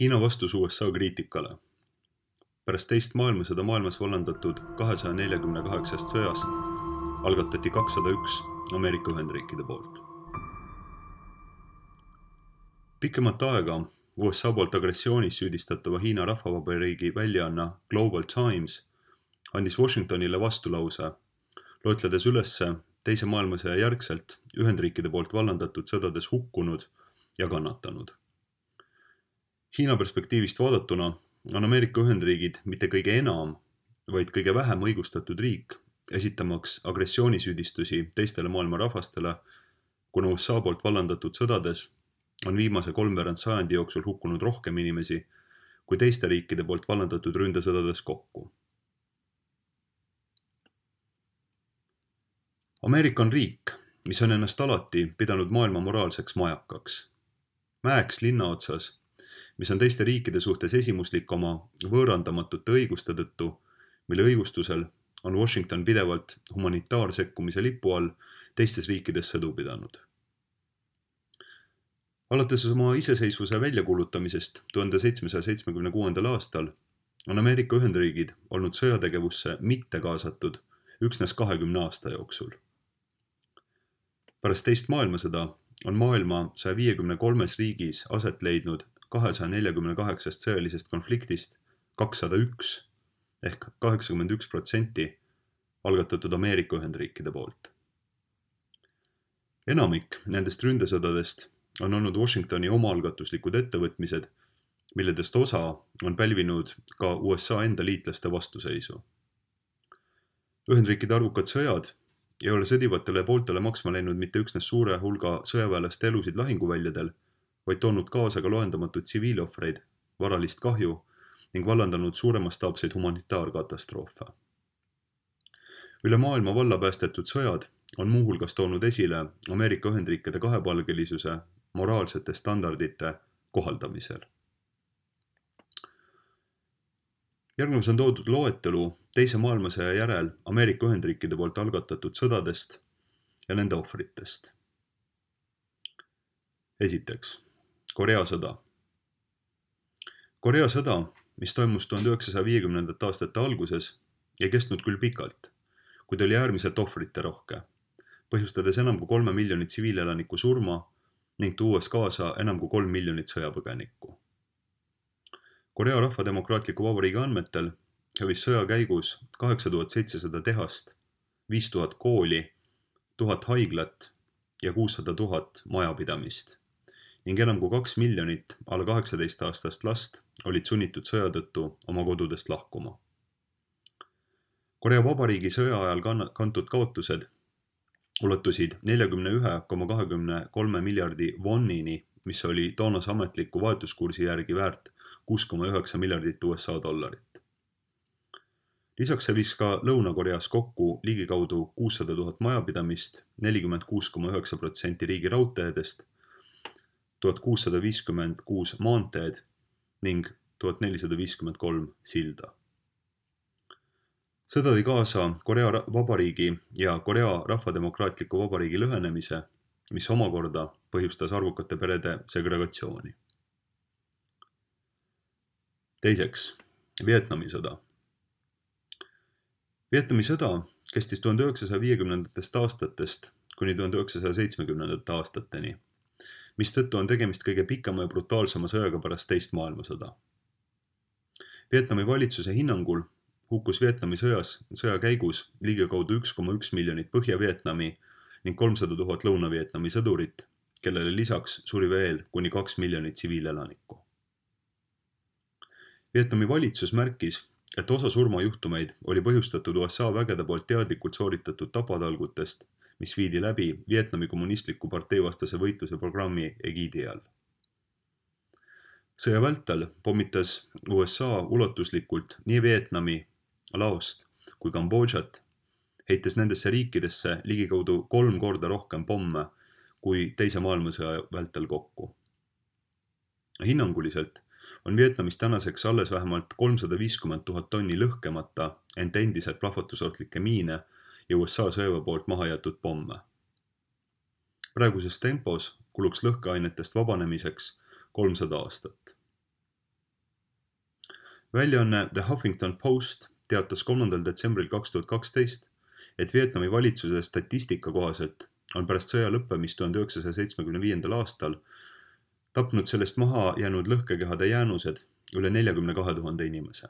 Hiina vastus USA kriitikale. Pärast teist maailmasõda maailmas vallandatud 248 sõjast algatati 201 Ameerika Ühendriikide poolt. Pikemat aega USA poolt agressioonis süüdistatava Hiina rahvavabariigi väljaanna Global Times andis Washingtonile vastulause, loetledes ülesse teise maailmasõja järgselt Ühendriikide poolt vallandatud sõdades hukkunud ja kannatanud. Hiina perspektiivist vaadatuna on Ameerika Ühendriigid mitte kõige enam, vaid kõige vähem õigustatud riik, esitamaks agressioonisüüdistusi teistele maailma rahvastele, kuna USA poolt vallandatud sõdades on viimase 3/4 sajandi jooksul hukkunud rohkem inimesi kui teiste riikide poolt vallandatud ründesõdades kokku. Ameerika on riik, mis on ennast alati pidanud maailma moraalseks majakaks. Mäeks linna otsas, mis on teiste riikide suhtes esimuslik oma võõrandamatute õiguste tõttu, mille õigustusel on Washington pidevalt humanitaarsekkumise lipu all teistes riikides sõdu pidanud. Alates oma iseseisvuse väljakuulutamisest 1776. aastal on Ameerika Ühendriigid olnud sõjategevusse mitte kaasatud üksnes 20 aasta jooksul. Pärast teist maailmasõda on maailma 153 riigis aset leidnud 248 sõjalisest konfliktist 201 ehk 81% algatatud Ameerika Ühendriikide poolt. Enamik nendest ründesõdadest on olnud Washingtoni omaalgatuslikud ettevõtmised, milledest osa on pälvinud ka USA enda liitlaste vastuseisu. Ühendriikide arvukad sõjad ei ole sõdivatele pooltele maksma läinud mitte üksnes suure hulga sõjaväelaste elusid lahinguväljadel, vaid toonud kaasa ka loendamatud tsiviilohvreid, varalist kahju ning vallandanud suuremastaapseid humanitaarkatastroofe. Üle maailma valla päästetud sõjad on muuhulgas toonud esile Ameerika Ühendriikide kahepalgelisuse moraalsete standardite kohaldamisel. Järgnevus on toodud loetelu teise maailmasõja järel Ameerika Ühendriikide poolt algatatud sõdadest ja nende ohvritest. Esiteks, Korea sõda. Korea sõda, mis toimus 1950. aastate alguses, ei kestnud küll pikalt, kuid oli äärmiselt ohvrite rohke, põhjustades enam kui 3 miljonit tsiviilelaniku surma ning tuues kaasa enam kui 3 miljonit sõjapõgenikku. Korea Rahvademokraatliku Vabariigi andmetel hävis sõja käigus 8700 tehast, 5000 kooli, 1000 haiglat ja 600 000 majapidamist ning enam kui 2 miljonit alla 18-aastast last olid sunnitud sõja tõttu oma kodudest lahkuma. Korea Vabariigi sõja ajal kantud kaotused ulatusid 41,23 miljardi wonini, mis oli toonase ametliku vahetuskursi järgi väärt 6,9 miljardit USA dollarit. Lisaks hävis ka Lõuna-Koreas kokku ligikaudu 600 000 majapidamist, 46,9% riigi raudteedest, 1656 maanteed ning 1453 silda. Sõda tõi kaasa Korea Vabariigi ja Korea Rahvademokraatliku Vabariigi lõhenemise, mis omakorda põhjustas arvukate perede segregatsiooni. Teiseks, Vietnami sõda. Vietnami sõda kestis 1950. aastatest kuni 1970. aastateni, mistõttu on tegemist kõige pikema ja brutaalsema sõjaga pärast teist maailmasõda. Vietnami valitsuse hinnangul hukkus Vietnami sõja käigus ligikaudu 1,1 miljonit Põhja-Vietnami ning 300 000 Lõuna-Vietnami sõdurit, kellele lisaks suri veel kuni 2 miljonit tsiviilelanikku. Vietnami valitsus märkis, et osa surmajuhtumeid oli põhjustatud USA vägede poolt teadlikult sooritatud tapatalgutest, mis viidi läbi Vietnami kommunistliku parteivastase võitluse programmi egiidi all. Sõja vältel pommitas USA ulatuslikult nii Vietnami, Laost kui Kambodžat, heites nendesse riikidesse ligikaudu 3 korda rohkem pomme kui teise maailmasõja vältel kokku. Hinnanguliselt on Vietnamis tänaseks alles vähemalt 350 000 tonni lõhkemata, ent endiselt plahvatusohtlikke miine ja USA sõjaväe poolt maha jäetud pomme. Praeguses tempos kuluks lõhkeainetest vabanemiseks 300 aastat. Väljaanne The Huffington Post teatas 3. detsembril 2012, et Vietnami valitsuse statistika kohaselt on pärast sõja lõppemist 1975. aastal tapnud sellest maha jäänud lõhkekehade jäänused üle 42 000 inimese.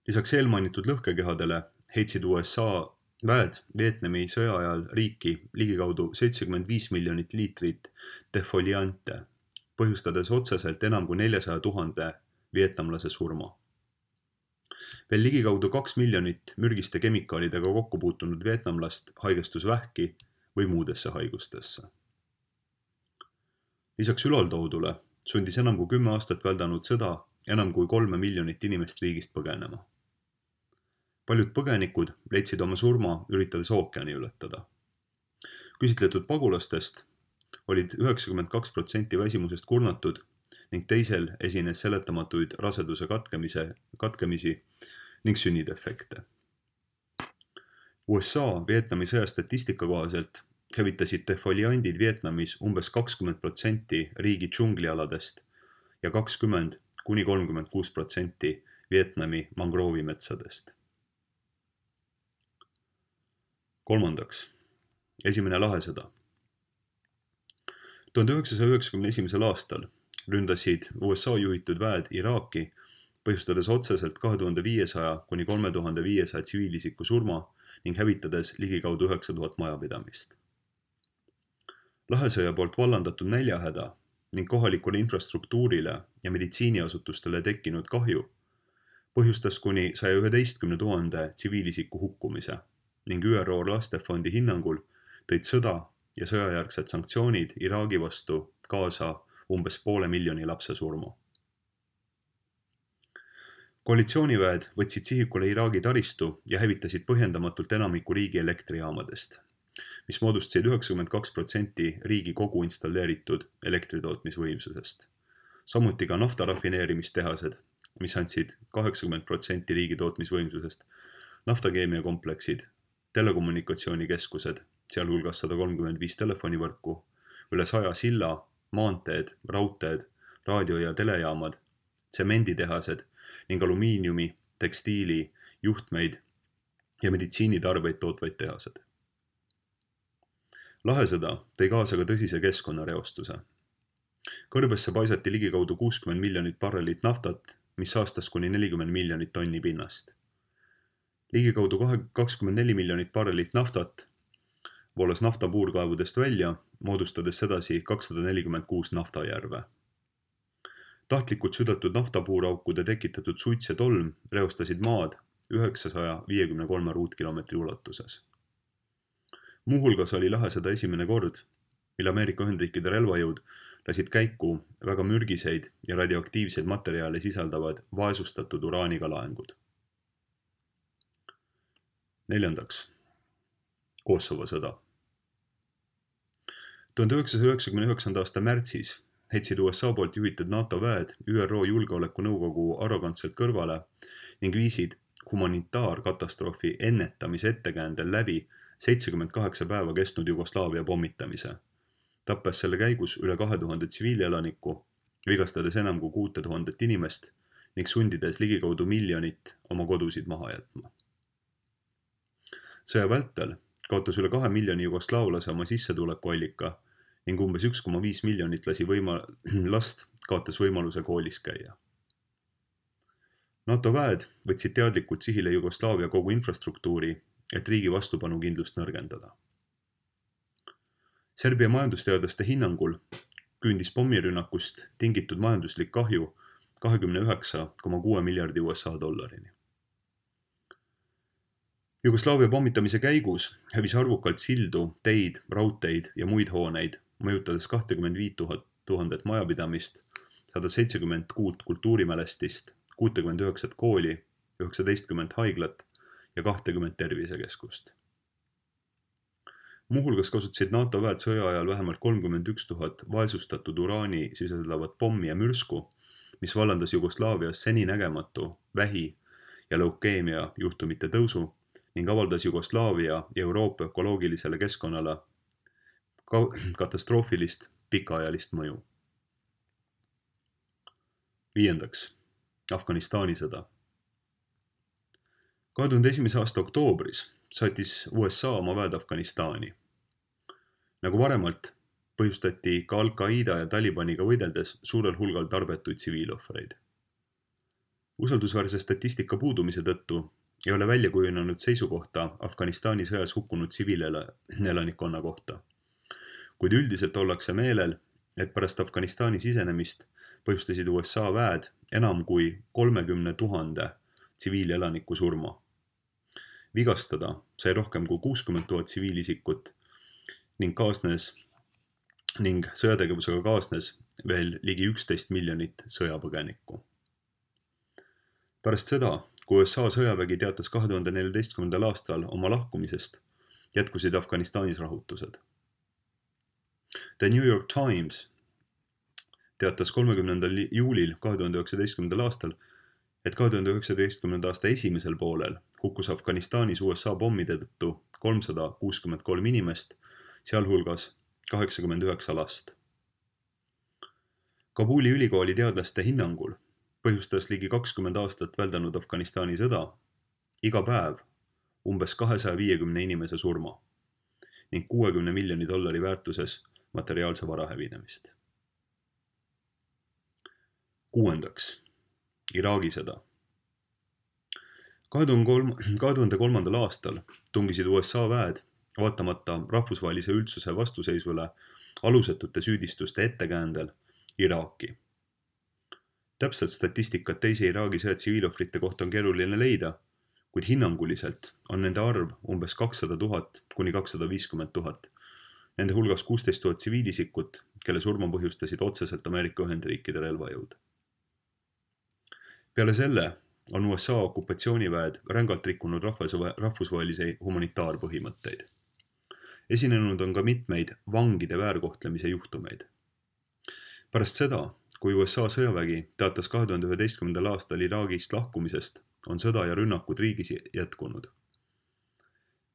Lisaks eelmainitud lõhkekehadele heitsid USA väed Vietnami sõja ajal riiki ligikaudu 75 miljonit liitrit defoliante, põhjustades otseselt enam kui 400 000 vietnamlase surma. Veel ligikaudu 2 miljonit mürgiste kemikaalidega kokku puutunud vietnamlast haigestus vähki või muudesse haigustesse. Lisaks ülaltoodule sundis enam kui 10 aastat väldanud sõda enam kui 3 miljonit inimest riigist põgenema. Paljud põgenikud leidsid oma surma üritades ookeani ületada. Küsitletud pagulastest olid 92% väsimusest kurnatud ning teisel esines seletamatuid raseduse katkemisi ning sünnidefekte. USA Vietnami sõja statistika kohaselt hävitasid defoliandid Vietnamis umbes 20% riigi džunglialadest ja 20–36% Vietnami mangroovimetsadest. Kolmandaks, esimene lahesõda. 1991. aastal ründasid USA juhitud väed Iraaki, põhjustades otseselt 2500–3500 tsiviilisiku surma ning hävitades ligikaudu 9000 majapidamist. Lahesõja poolt vallandatud näljahäda ning kohalikule infrastruktuurile ja meditsiiniasutustele tekkinud kahju põhjustas kuni 111 000 tsiviilisiku hukkumise ning ÜRO lastefondi hinnangul tõid sõda ja sõjajärgsed sanktsioonid Iraagi vastu kaasa umbes 500,000 lapse surma. Koalitsiooniväed võtsid sihikule Iraagi taristu ja hävitasid põhjendamatult enamiku riigi elektrijaamadest, mis moodustasid 92% riigi kogu installeeritud elektritootmisvõimsusest. Samuti ka naftarafineerimistehased, mis andsid 80% riigi tootmisvõimsusest, naftakeemiakompleksid, telekommunikatsioonikeskused, sealhulgas 135 telefonivõrku, üle 100 silla, maanteed, raudteed, raadio- ja telejaamad, tsemenditehased ning alumiiniumi, tekstiili, juhtmeid ja meditsiinitarbeid tootvaid tehased. Lahesõda tõi kaasa ka tõsise keskkonnareostuse. Kõrbesse paisati ligikaudu 60 miljonit barrelit naftat, mis saastas kuni 40 miljonit tonni pinnast. Ligikaudu 24 miljonit barrelit naftat voolas naftapuurkaevudest välja, moodustades sedasi 246 naftajärve. Tahtlikult südatud naftapuuraukude tekitatud suits ja tolm reostasid maad 953 ruutkilomeetri ulatuses. Muuhulgas oli lahesõda esimene kord, mil Ameerika Ühendriikide relvajõud lasid käiku väga mürgiseid ja radioaktiivseid materjale sisaldavad vaesustatud uraaniga laengud. Neljandaks, Kosovo sõda. 1999. aasta märtsis heitsid USA poolt juhitud NATO väed ÜRO Julgeolekunõukogu arrogantselt kõrvale ning viisid humanitaarkatastroofi ennetamise ettekäändel läbi 78 päeva kestnud Jugoslaavia pommitamise, tappes selle käigus üle 2000 tsiviilelanikku, vigastades enam kui 6000 inimest ning sundides ligikaudu 1 miljonit oma kodusid maha jätma. Sõja vältel kaotas üle 2 miljoni jugoslaavlase oma sissetulekuallika ning umbes 1,5 miljonit last kaotas võimaluse koolis käia. NATO väed võtsid teadlikult sihile Jugoslaavia kogu infrastruktuuri, et riigi vastupanukindlust nõrgendada. Serbia majandusteadlaste hinnangul küündis pommirünnakust tingitud majanduslik kahju 29,6 miljardi USA dollarini. Jugoslaavia pommitamise käigus hävis arvukalt sildu, teid, raudteid ja muid hooneid, mõjutades 25 000 majapidamist, 176 kultuurimälestist, 69 kooli, 19 haiglat ja 20 tervisekeskust. Muuhulgas kasutasid NATO väed sõja ajal vähemalt 31 000 vaesustatud uraani sisaldavat pommi ja mürsku, mis vallandas Jugoslaavias seninägematu vähi ja leukeemia juhtumite tõusu ning avaldas Jugoslaavia ja Euroopa ökoloogilisele keskkonnale katastroofilist pikaajalist mõju. 5. Afganistani sõda. 2001. aasta oktoobris saatis USA oma väed Afganistani. Nagu varemalt põhjustati ka Al-Qaida ja Talibaniga võideldes suurel hulgal tarbetuid tsiviilohvreid. Usaldusväärse statistika puudumise tõttu ei ole välja kujunenud seisukohta Afganistani sõjas hukkunud tsiviilelanikkonna kohta. Kuid üldiselt ollakse meelel, et pärast Afganistani sisenemist põhjustasid USA väed enam kui 30 000 tsiviilelaniku surma. Vigastada sai rohkem kui 60 000 tsiviilisikut ning sõjategevusega kaasnes veel ligi 11 miljonit sõjapõgenikku. Pärast seda, kui USA sõjavägi teatas 2014. aastal oma lahkumisest, jätkusid Afganistanis rahutused. The New York Times teatas 30. juulil 2019. aastal, et 2019. aasta esimesel poolel hukkus Afganistanis USA pommide tõttu 363 inimest, sealhulgas 89 last. Kabuli ülikooli teadlaste hinnangul põhjustas ligi 20 aastat väldanud Afganistani sõda iga päev umbes 250 inimese surma ning $60 miljoni väärtuses materiaalse vara hävinemist. 6. Iraagi sõda. 2003. aastal tungisid USA väed vaatamata rahvusvahelise üldsuse vastuseisule alusetute süüdistuste ettekäändel Iraaki. Täpselt statistikat teise Iraagi sõja tsiviilohvrite kohta on keeruline leida, kuid hinnanguliselt on nende arv umbes 200 000 kuni 250 000. Nende hulgas 16 000 tsiviilisikut, kelle surma põhjustasid otseselt Ameerika Ühendriikide relvajõud. Peale selle on USA okupatsiooniväed rängalt rikkunud rahvusvahelisi humanitaarpõhimõtteid. Esinenud on ka mitmeid vangide väärkohtlemise juhtumeid. Pärast seda, kui USA sõjavägi teatas 2011. aastal Iraagist lahkumisest, on sõda ja rünnakud riigis jätkunud.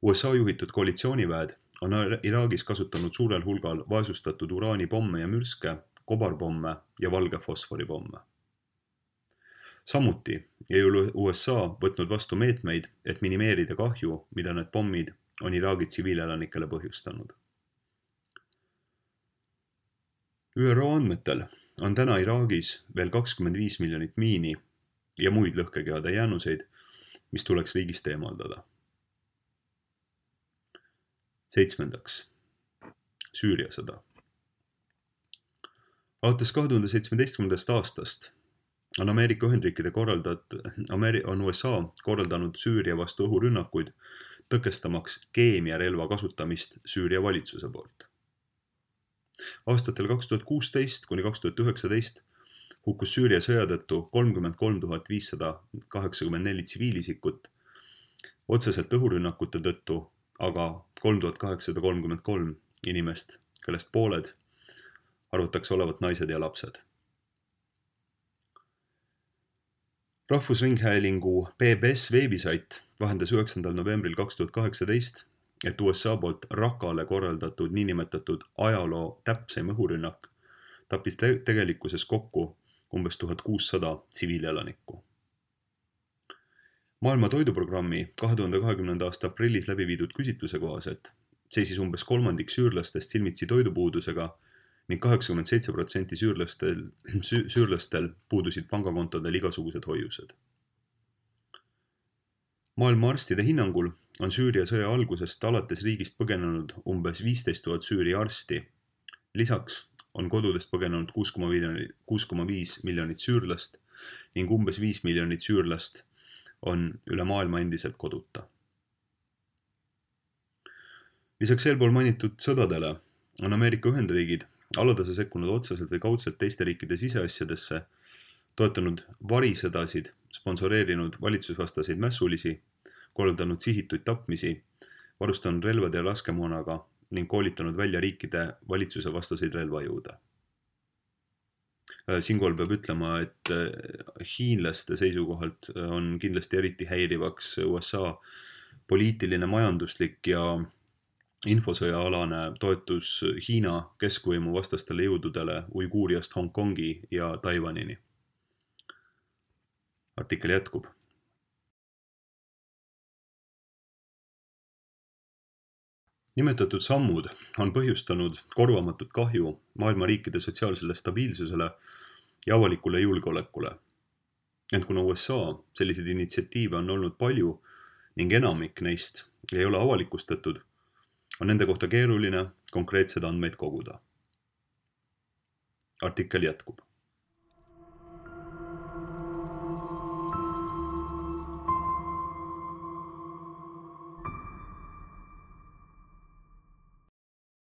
USA juhitud koalitsiooniväed on Iraagis kasutanud suurel hulgal vaesustatud uraanipomme ja mürske, kobarpomme ja valge fosforipomme. Samuti ei ole USA võtnud vastu meetmeid, et minimeerida kahju, mida need pommid on Iraagi tsiviilelanikele põhjustanud. ÜRO andmetel on täna Iraagis veel 25 miljonit miini ja muid lõhkekehade jäänuseid, mis tuleks riigist eemaldada. 7. Süüria sõda. Alates 2017. aastast on Ameerika Ühendriikide on USA korraldanud Süüria vastu õhurünnakuid, tõkestamaks keemiarelva kasutamist Süüria valitsuse poolt. Aastatel 2016 kuni 2019 hukkus Süüria sõja tõttu 33 584 tsiviilisikut, otseselt õhurünnakute tõttu aga 3833 inimest, kellest pooled arvatakse olevat naised ja lapsed. Rahvusringhäälingu PBS veebisait vahendas 9. novembril 2018, et USA poolt Raqqale korraldatud niinimetatud ajaloo täpseim õhurünnak tappis tegelikkuses kokku umbes 1600 tsiviilelanikku. Maailma toiduprogrammi 2020. aasta aprillis läbi viidud küsitluse kohaselt seisis umbes kolmandik süürlastest silmitsi toidupuudusega ning 87% süürlastel puudusid pangakontodel igasugused hoiused. Maailma arstide hinnangul on Süüria sõja algusest alates riigist põgenenud umbes 15 000 Süüria arsti. Lisaks on kodudest põgenenud 6,5 miljonit süürlast ning umbes 5 miljonit süürlast on üle maailma endiselt koduta. Lisaks eelpool mainitud sõdadele on Ameerika Ühendriigid aladase sekkunud otseselt või kaudselt teiste riikide siseasjadesse, toetanud varisõdasid, sponsoreerinud valitsusvastaseid mässulisi, korraldanud sihitud tapmisi, varustanud relvade ja laskemoonaga ning koolitanud välja riikide valitsuse vastaseid relvajõude. Siinkohal peab ütlema, et hiinlaste seisukohalt on kindlasti eriti häirivaks USA poliitiline, majanduslik ja infosõjaalane toetus Hiina keskvõimu vastastele jõududele Uiguuriast Hongkongi ja Taiwanini. artikkel jätkub. Nimetatud sammud on põhjustanud korvamatut kahju maailma riikide sotsiaalsele stabiilsusele ja avalikule julgeolekule. Ent kuna USA selliseid initsiatiive on olnud palju ning enamik neist ei ole avalikustatud, on nende kohta keeruline konkreetsed andmeid koguda. Artikkel jätkub.